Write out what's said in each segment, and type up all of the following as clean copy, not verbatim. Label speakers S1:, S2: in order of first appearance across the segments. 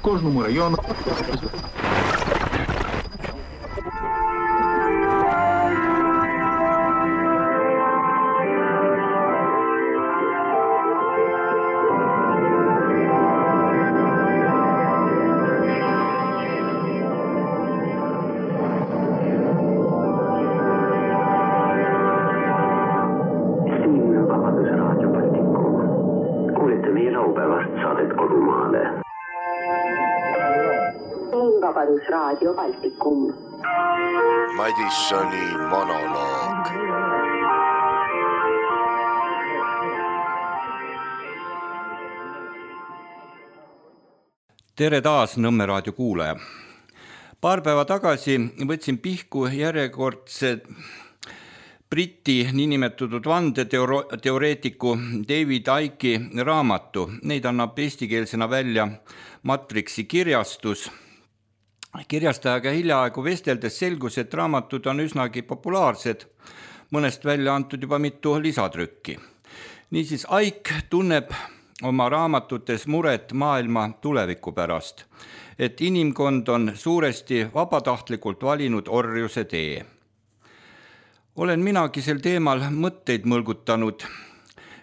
S1: Кожному району.
S2: Raadio Baltikum.
S3: Madissoni monoloog.
S4: Tere taas Nõmme raadio kuulaja. Paar päeva tagasi võtsin pihku järjekordse Briti niinimetatud vandeteoreetiku David Icke'i raamatu. Neid annab eestikeelsena välja Matrixi kirjastus. Kirjastajaga hiljaaegu vesteldes selgus, et raamatud on üsnagi populaarsed, mõnest välja antud juba mitu lisatrükki. Niisiis Icke tunneb oma raamatutes muret maailma tuleviku pärast, et inimkond on suuresti vabatahtlikult valinud orjuse tee. Olen minagi sel teemal mõtteid mõlgutanud,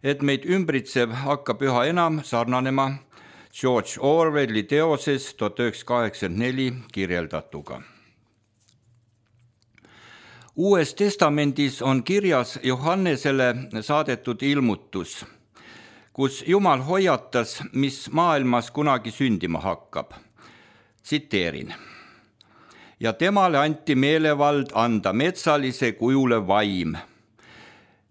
S4: et meid ümbritsev hakkab üha enam sarnanema George Orwelli teoses 1984 kirjeldatuga. Uues testamendis on kirjas Johannesele saadetud ilmutus, kus Jumal hoiatas, mis maailmas kunagi sündima hakkab. Tsiteerin. Ja temale anti meelevald anda metsalise kujule vaim,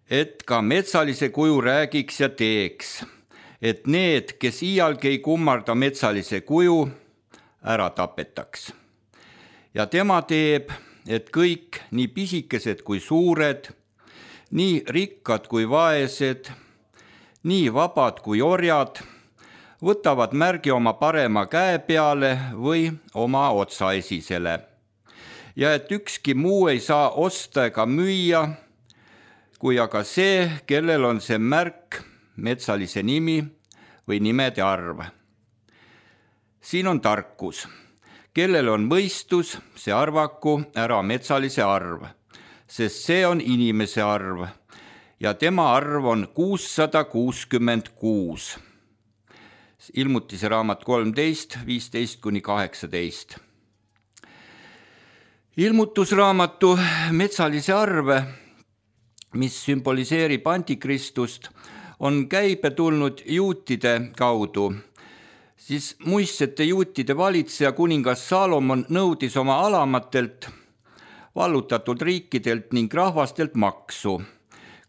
S4: et ka metsalise kuju räägiks ja teeks, et need, kes iialgi ei kummarda metsalise kuju, ära tapetaks. Ja tema teeb, et kõik, nii pisikesed kui suured, nii rikkad kui vaesed, nii vabad kui orjad, võtavad märgi oma parema käe peale või oma otsaesisele. Ja et ükski muu ei saa osta ega müüa, kui aga see, kellel on see märk, metsalise nimi või nimede arv. Siin on tarkus. Kellel on mõistus, see arvaku ära metsalise arv, sest see on inimese arv ja tema arv on 666. Ilmutise raamat 13, 15-18. Ilmutusraamatu metsalise arve, mis sümboliseerib antikristust, on käibe tulnud juutide kaudu, siis muistsete juutide valitseja kuningas Salomon nõudis oma alamatelt, vallutatud riikidelt ning rahvastelt maksu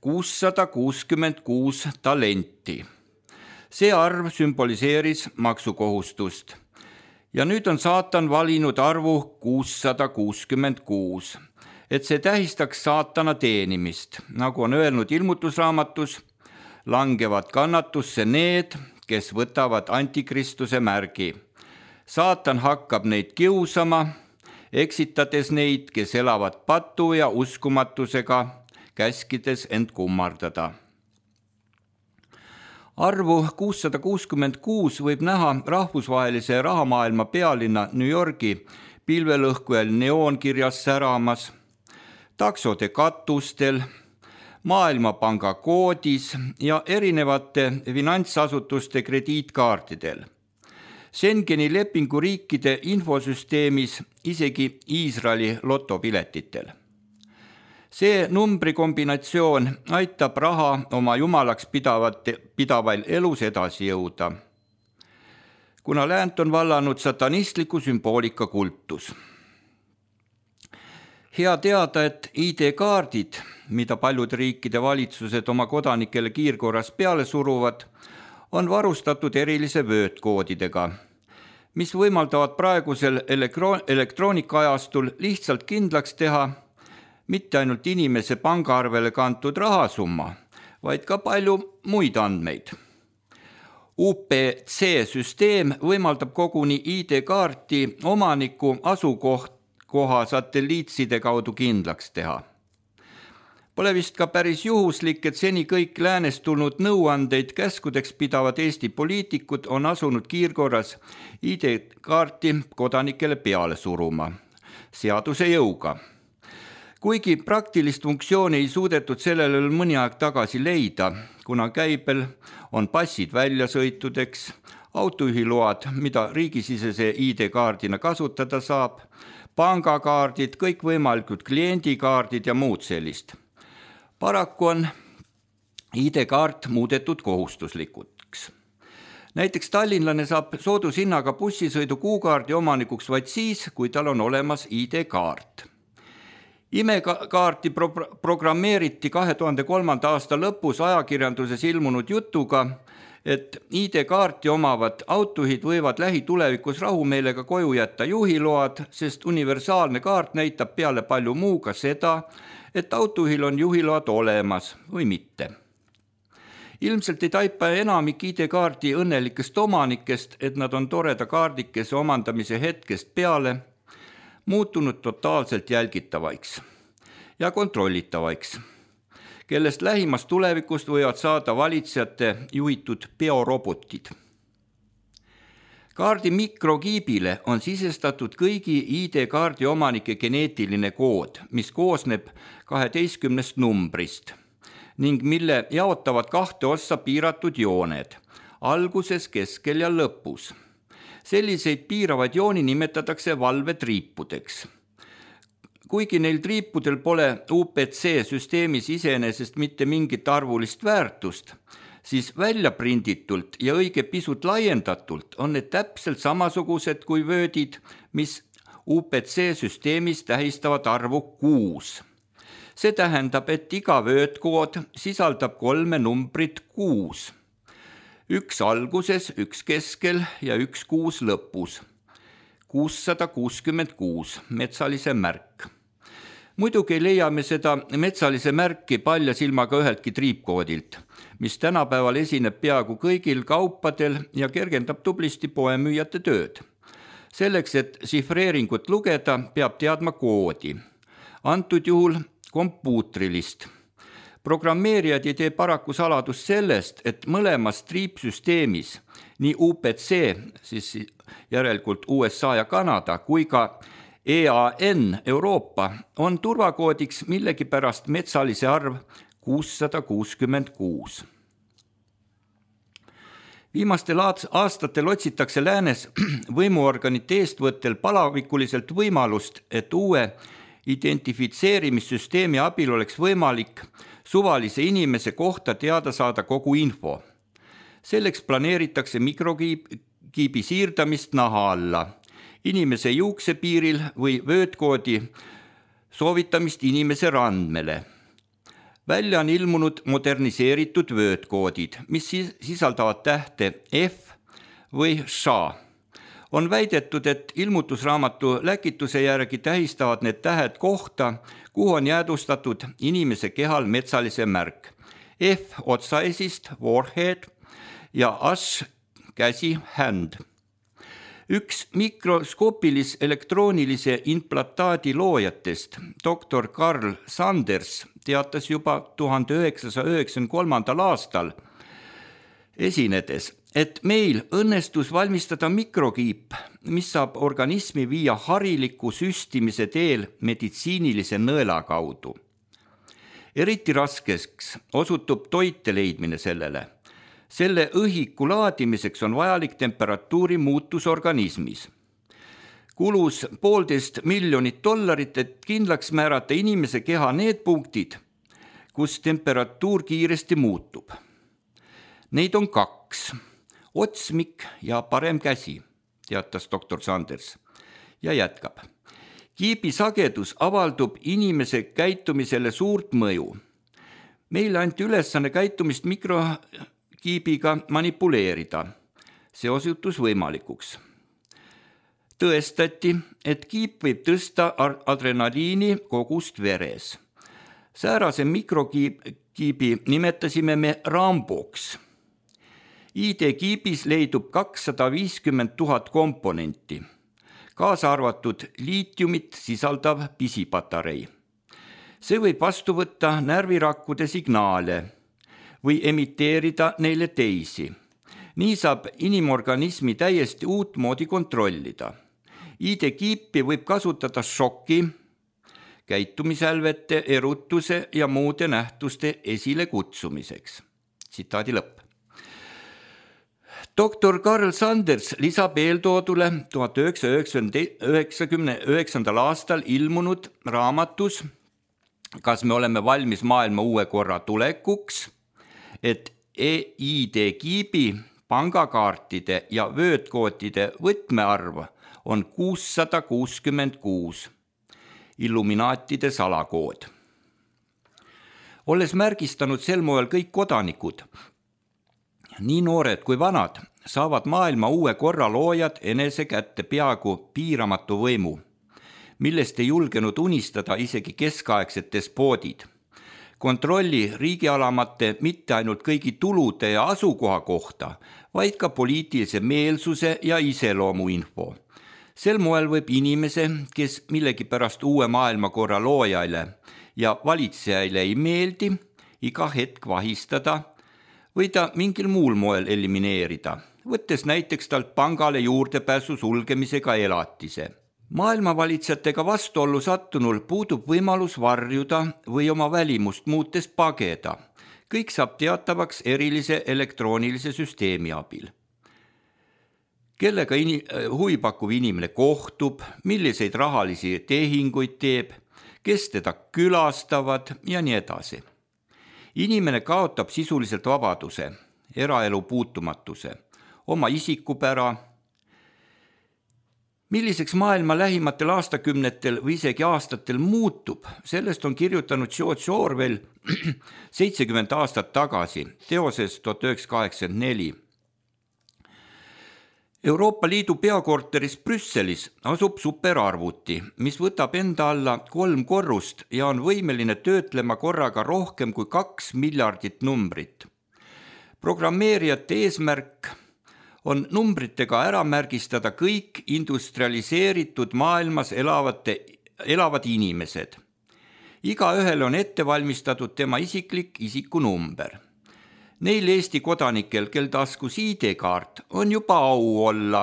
S4: 666 talenti. See arv sümboliseeris maksukohustust ja nüüd on saatan valinud arvu 666, et see tähistaks saatana teenimist, nagu on öelnud ilmutusraamatus, langevad kannatusse need, kes võtavad antikristuse märgi. Saatan hakkab neid kiusama, eksitades neid, kes elavad patu ja uskumatusega, käskides end kummardada. Arvu 666 võib näha rahvusvahelise rahamaailma pealinna New Yorgi pilvelõhkujal neoonkirjas säramas, taksode katustel, Maailmapanga koodis ja erinevate finantsasutuste krediitkaartidel. Schengeni lepingu riikide infosüsteemis isegi Iisraeli lotopiletitel. See numbrikombinatsioon aitab raha oma jumalaks pidavail elus edasi jõuda, kuna läänt on vallanud satanistliku sümboolika kultus. Hea teada, et ID-kaardid, mida paljude riikide valitsused oma kodanikele kiirkorras peale suruvad, on varustatud erilise vöötkoodidega, mis võimaldavad praegusel elektroonikaajastul lihtsalt kindlaks teha mitte ainult inimese pangaarvele kantud rahasumma, vaid ka palju muid andmeid. UPC-süsteem võimaldab koguni ID-kaarti omaniku asukoha satelliitside kaudu kindlaks teha. Pole vist ka päris juhuslik, et seni kõik läänest tulnud nõuandeid käskudeks pidavad Eesti poliitikud on asunud kiirkorras ID-kaarti kodanikele peale suruma seaduse jõuga. Kuigi praktilist funktsiooni ei suudetud sellele mõni aeg tagasi leida, kuna käibel on passid väljasõitudeks, autojuhiload, mida riigisisese ID-kaardina kasutada saab, pangakaardid, kõikvõimalikud kliendikaardid ja muud sellist. Paraku on ID-kaart muudetud kohustuslikuks. Näiteks tallinlane saab soodushinnaga bussisõidu kuukaardi omanikuks vaid siis, kui tal on olemas ID-kaart. Imekaarti programmeeriti 2003. aasta lõpus ajakirjanduses ilmunud jutuga, et ID-kaarti omavad autojuhid võivad lähitulevikus rahumeelega koju jätta juhiload, sest universaalne kaart näitab peale palju muu ka seda, et autojuhil on juhiload olemas või mitte. Ilmselt ei taipa enamik ID-kaardi õnnelikest omanikest, et nad on toreda kaardikese omandamise hetkest peale muutunud totaalselt jälgitavaiks ja kontrollitavaiks, kellest lähimas tulevikust võivad saada valitsejate juhitud biorobotid. Kaardi mikrokiibile on sisestatud kõigi ID-kaardi omanike geneetiline kood, mis koosneb 12 numbrist ning mille jaotavad 2 ossa piiratud jooned, alguses, keskel ja lõpus. Selliseid piiravaid jooni nimetatakse valvetriipudeks. Kuigi neil triipudel pole UPC süsteemis iseenesest mitte mingit arvulist väärtust, siis väljaprinditult ja õige pisut laiendatult on need täpselt samasugused kui vöödid, mis UPC süsteemis tähistavad arvu 6. See tähendab, et iga vöödkood sisaldab 3 numbrit 6. 1 alguses, 1 keskel ja 1 6 lõpus. 666 metsalise märk. Muidugi leiame seda metsalise märki palja silmaga üheltki triipkoodilt, mis tänapäeval esineb peaaegu kõigil kaupadel ja kergendab tublisti poemüüjate tööd. Selleks, et sifreeringut lugeda, peab teadma koodi. Antud juhul kompuutrilist. Programmeerijad ei tee paraku saladust sellest, et mõlemas triipsüsteemis, nii UPC, siis järelikult USA ja Kanada, kui ka EAN Euroopa on turvakoodiks millegipärast metsalise arv 666. Viimastel aastatel otsitakse läänes võimuorganite eestvõttel palavikuliselt võimalust, et uue identifitseerimissüsteemi abil oleks võimalik suvalise inimese kohta teada saada kogu info. Selleks planeeritakse mikrokiibi siirdamist naha alla, inimese juuksepiiril või vöödkoodi soovitamist inimese randmele. Välja on ilmunud moderniseeritud vöödkoodid, mis sisaldavad tähte F või ša. On väidetud, et ilmutusraamatu läkituse järgi tähistavad need tähed kohta, kuhu on jäädustatud inimese kehal metsalise märk. F otsaesist, forehead ja H käsi, hand. Üks mikroskoopilis elektroonilise implantaadi loojatest, doktor Carl Sanders, teatas juba 1993. aastal esinedes, et meil õnnestus valmistada mikrokiip, mis saab organismi viia hariliku süstimise teel meditsiinilise nõela kaudu. Eriti raskeks osutub toite leidmine sellele. Selle õhiku laadimiseks on vajalik temperatuuri muutus organismis. Kulus $1,5 miljonit, et kindlaks määrata inimese keha need punktid, kus temperatuur kiiresti muutub. Neid on 2, otsmik ja parem käsi, teatas doktor Sanders ja jätkab. Kiibi sagedus avaldub inimese käitumisele suurt mõju. Meile anti ülesanne käitumist mikrokiibiga manipuleerida. See osutus võimalikuks. Tõestati, et kiip võib tõsta adrenaliini kogust veres. Säärase mikrokiibi nimetasime me Ramboks. ID-kiibis leidub 250 000 komponenti, kaasa arvatud liitiumit sisaldav pisipatarei. See võib vastu võtta närvirakkude signaale või emiteerida neile teisi. Nii saab inimorganismi täiesti uut moodi kontrollida. ID-kiipi võib kasutada šoki, käitumisälvete, erutuse ja muude nähtuste esile kutsumiseks. Tsitaadi lõpp. Dr. Karl Sanders lisab eeltoodule 1999. aastal ilmunud raamatus Kas me oleme valmis maailma uue korra tulekuks, et ID-kiibi, pangakaartide ja vöötkoodide võtmearv on 666, Illuminaatide salakood. Olles märgistanud sel moel kõik kodanikud, nii noored kui vanad, saavad maailma uue korra loojad enese kätte peaaegu piiramatu võimu, millest ei julgenud unistada isegi keskaegsed despoodid. Kontrolli riigialamate mitte ainult kõigi tulude ja asukoha kohta, vaid ka poliitilise meelsuse ja iseloomu info. Sel moel võib inimese, kes millegipärast uue maailmakorra loojaile ja valitsejaile ei meeldi, iga hetk vahistada või ta mingil muul moel elimineerida, võttes näiteks talt pangale juurdepääsu sulgemisega elatise. Maailmavalitsjatega vastuollu sattunul puudub võimalus varjuda või oma välimust muutes pageda. Kõik saab teatavaks erilise elektroonilise süsteemi abil. Kellega huvipakkuv inimene kohtub, milliseid rahalisi tehinguid teeb, kes teda külastavad ja nii edasi. Inimene kaotab sisuliselt vabaduse, eraelu puutumatuse, oma isikupära. Milliseks maailma lähimatel aastakümnetel või isegi aastatel muutub, sellest on kirjutanud George Orwell 70 aastat tagasi, teoses 1984. Euroopa Liidu peakorteris Brüsselis asub superarvuti, mis võtab enda alla 3 korrust ja on võimeline töötlema korraga rohkem kui 2 miljardit numbrit. Programmeerijate eesmärk on numbritega ära märgistada kõik industrialiseeritud maailmas elavad inimesed. Igaühel on ette valmistatud tema isiklik isikunumber. Neil Eesti kodanikel, kel taskus ID-kaart, on juba au olla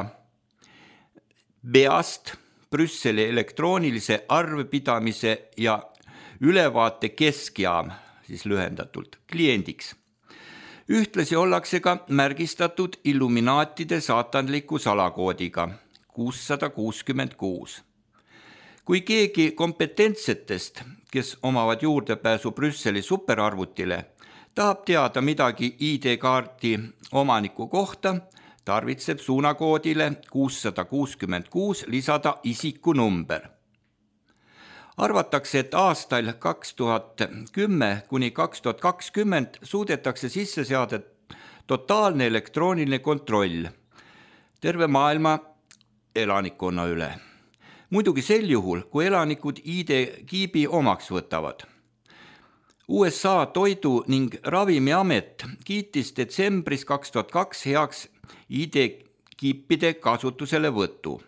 S4: BEAST, Brüsseli elektroonilise arvepidamise ja ülevaate keskjaam, siis lühendatult, kliendiks. Ühtlasi ollakse ka märgistatud Illuminaatide saatanliku salakoodiga 666. Kui keegi kompetentsetest, kes omavad juurdepääsu Brüsseli superarvutile, tahab teada midagi ID-kaarti omaniku kohta, tarvitseb suunakoodile 666 lisada isikunumber. Arvatakse, et aastail 2010 kuni 2020 suudetakse sisse seada totaalne elektrooniline kontroll terve maailma elanikkonna üle. Muidugi sel juhul, kui elanikud ID-kiibi omaks võtavad. USA Toidu- ning Ravimiamet kiitis detsembris 2002 heaks ID-kiipide kasutusele võtu.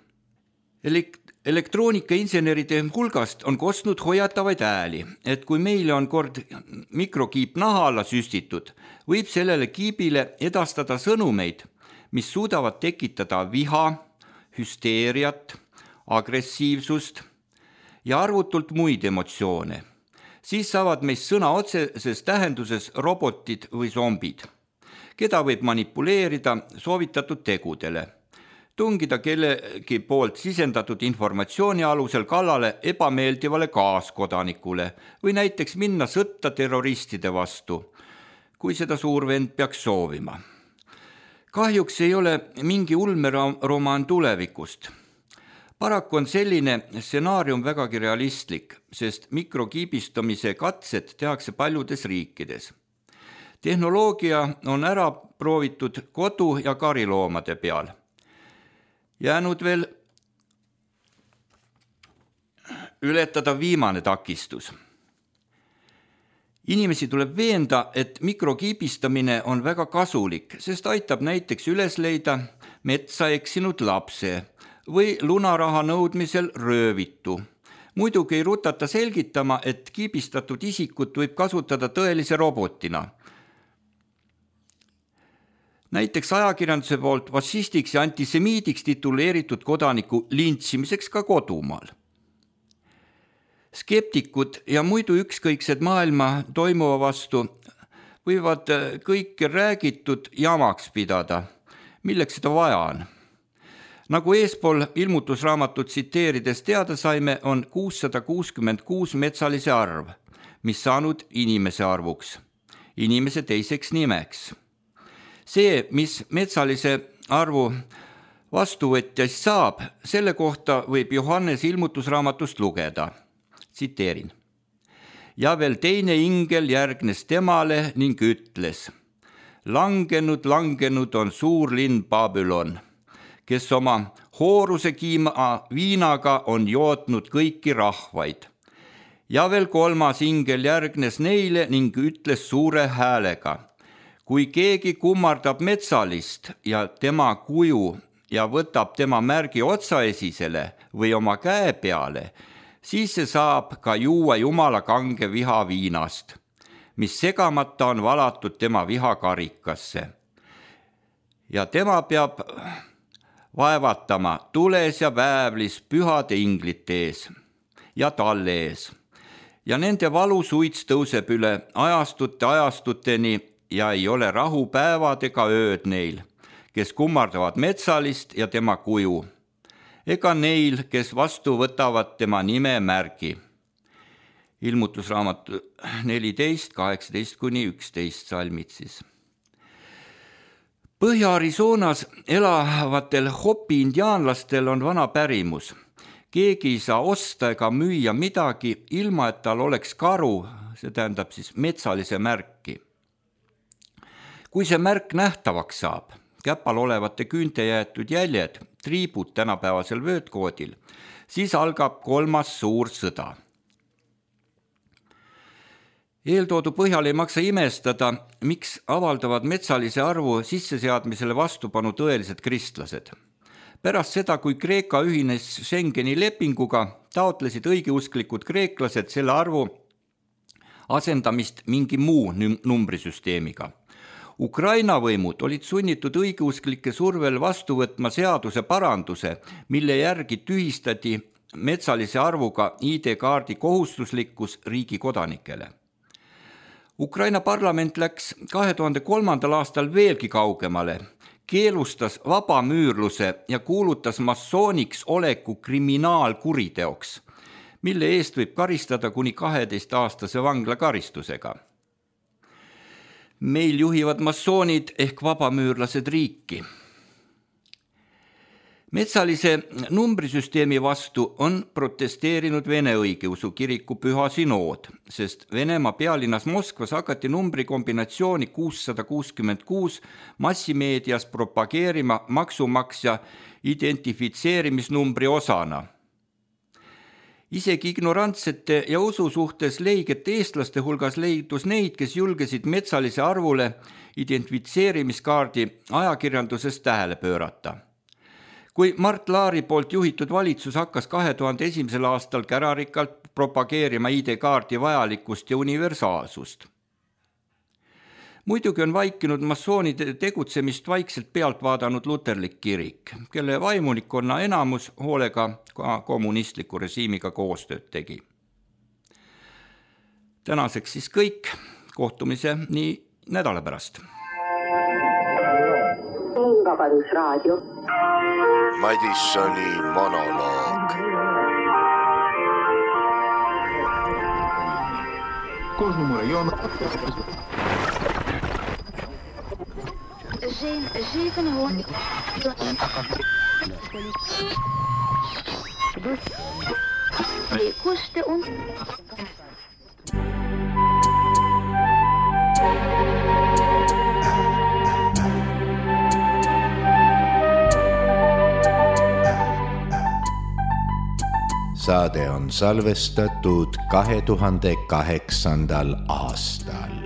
S4: Elektroonikainseneride hulgast on kostnud hoiatavaid ääli, et kui meile on kord mikrokiip naha alla süstitud, võib sellele kiibile edastada sõnumeid, mis suudavad tekitada viha, hüsteeriat, agressiivsust ja arvutult muid emotsioone. Siis saavad meist sõna otseses tähenduses robotid või zombid, keda võib manipuleerida soovitatud tegudele, tungida kellegi poolt sisendatud informatsiooni alusel kallale ebameeldivale kaaskodanikule või näiteks minna sõtta terroristide vastu, kui seda suurvend peaks soovima. Kahjuks ei ole mingi ulmeromaan tulevikust. Paraku on selline stsenaarium vägagi realistlik, sest mikrokiibistamise katsed tehakse paljudes riikides. Tehnoloogia on ära proovitud kodu- ja kariloomade peal. Jäänud veel ületada viimane takistus. Inimesi tuleb veenda, et mikrokiibistamine on väga kasulik, sest aitab näiteks üles leida metsa eksinud lapse või lunaraha nõudmisel röövitu Muidugi ei rutata selgitama, et kiibistatud isikut võib kasutada tõelise robotina. Näiteks ajakirjanduse poolt fašistiks ja antisemiidiks tituleeritud kodaniku lintšimiseks ka kodumaal. Skeptikud ja muidu ükskõiksed maailma toimuva vastu võivad kõike räägitud jamaks pidada, milleks seda vaja on. Nagu eespool ilmutusraamatut tsiteerides teada saime, on 666 metsalise arv, mis saanud inimese arvuks, inimese teiseks nimeks. See, mis metsalise arvu vastuvõtjast saab, selle kohta võib Johannes ilmutusraamatust lugeda. Tsiteerin. Ja veel teine ingel järgnes temale ning ütles, langenud on suur linn Babylon, kes oma hooruse kiima viinaga on jootnud kõiki rahvaid. Ja veel kolmas ingel järgnes neile ning ütles suure häälega, kui keegi kummardab metsalist ja tema kuju ja võtab tema märgi otsaesisele või oma käe peale, siis see saab ka juua Jumala kange viha viinast, mis segamata on valatud tema vihakarikasse. Ja tema peab vaevatama tules ja väävlis pühade inglite ees ja talle ees. Ja nende valusuits tõuseb üle ajastuteni ja ei ole rahu päevad ega ööd neil, kes kummardavad metsalist ja tema kuju, ega neil, kes vastu võtavad tema nime märgi. Ilmutusraamat 14, 18-11 salmid siis. Põhja-Arizonas elavatel Hopi indiaanlastel on vana pärimus. Keegi ei saa osta ega müüa midagi, ilma et tal oleks karu, see tähendab siis metsalise märki. Kui see märk nähtavaks saab, käpal olevate küünte jäetud jäljed, triibud tänapäevasel vöötkoodil, siis algab 3. suur sõda. Eeltoodu põhjal ei maksa imestada, miks avaldavad metsalise arvu sisseseadmisele vastupanu tõelised kristlased. Pärast seda, kui Kreeka ühines Schengeni lepinguga, taotlesid õigeusklikud kreeklased selle arvu asendamist mingi muu numbrisüsteemiga. Ukraina võimud olid sunnitud õigeusklike survel vastu võtma seaduse paranduse, mille järgi tühistati metsalise arvuga ID-kaardi kohustuslikkus riigi kodanikele. Ukraina parlament läks 2003. aastal veelgi kaugemale, keelustas vabamüürluse ja kuulutas massooniks oleku kriminaalkuriteoks, mille eest võib karistada kuni 12-aastase vanglakaristusega. Meil juhivad massoonid ehk vabamüürlased riiki. Metsalise numbrisüsteemi vastu on protesteerinud Vene õigeusu kiriku püha sinood, sest Venemaa pealinnas Moskvas hakati numbrikombinatsiooni 666 massimeedias propageerima maksumaksja identifitseerimisnumbri osana. Isegi ignorantsete ja usu suhtes leigete eestlaste hulgas leidus neid, kes julgesid metsalise arvule identifitseerimiskaardi ajakirjanduses tähele pöörata. Kui Mart Laari poolt juhitud valitsus hakkas 2001. aastal kärarikalt propageerima ID-kaardi vajalikkust ja universaalsust. Muidugi on vaikinud massoonide tegutsemist vaikselt pealt vaadanud luterlik kirik, kelle vaimulikkonna enamus hoolega ka kommunistliku režiimiga koostööd tegi. Tänaseks siis kõik, kohtumise nii nädala pärast.
S2: Vabadusraadio.
S1: Madissoni monoloog.
S3: Кожному району.
S1: Saade on salvestatud 2008. aastal.